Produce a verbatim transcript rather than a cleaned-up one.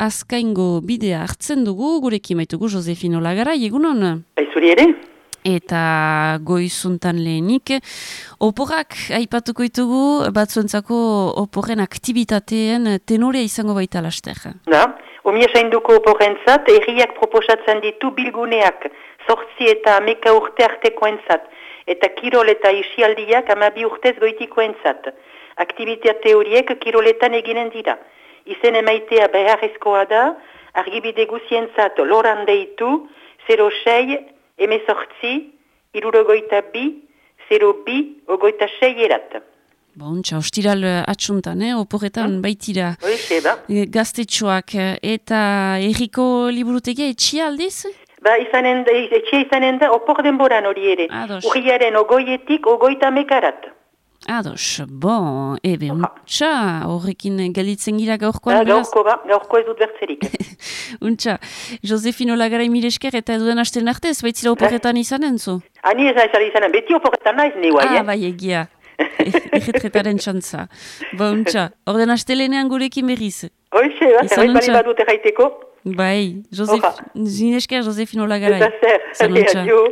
Azkaingo bidea hartzen dugu, gurekin maitugu Josefino Lagarai, egunon? Zuri ere? Eta goizuntan lehenik, oporrak aipatuko ditugu, batzuentzako oporren aktibitateen tenorea izango baita laster. Da, omia sainduko oporrentzat, erriak proposatzen ditu bilguneak, zortzi eta ameka urte artekoentzat, eta kirol eta isialdiak amabi urtez goitikoentzat. Aktivitate horiek kiroletan eginen dira. Izen emaitea beharrezkoa da, argibide guzientzat loran deitu, zero sei, emezortzi, irurogoita bi, zero bi, ogoita sei erat. Bontxa, ostiral atxuntan, eh? Oporretan hmm? baitira. Hoize, ba. Gaztetxoak eta erriko liburutegia etxia aldiz? Ba, izanen da, etxia izanen da, opor denboran hori ere. Ados. Urriaren ogoietik ogoita mekarat. Ados, bon, ebe, untxa, horrekin galitzen gira gaurkoan. Da, gaurko ba, gaurko ez dut bertzerik. Untxa, Josefino Lagarai milesker eta duen hasten arte, ez baitzila oporretan izanen zu? Ani ez aizara izanen, beti oporretan naiz ni guai, ah, eh? Bai, egia, erretretaren txantza. Ba, untxa, orden hastelenean gurekin berriz. Hoize, ba, zerbait bali badut erraiteko. Bai, Josef, zinesker Josefino Lagarai. Eta zer, adio.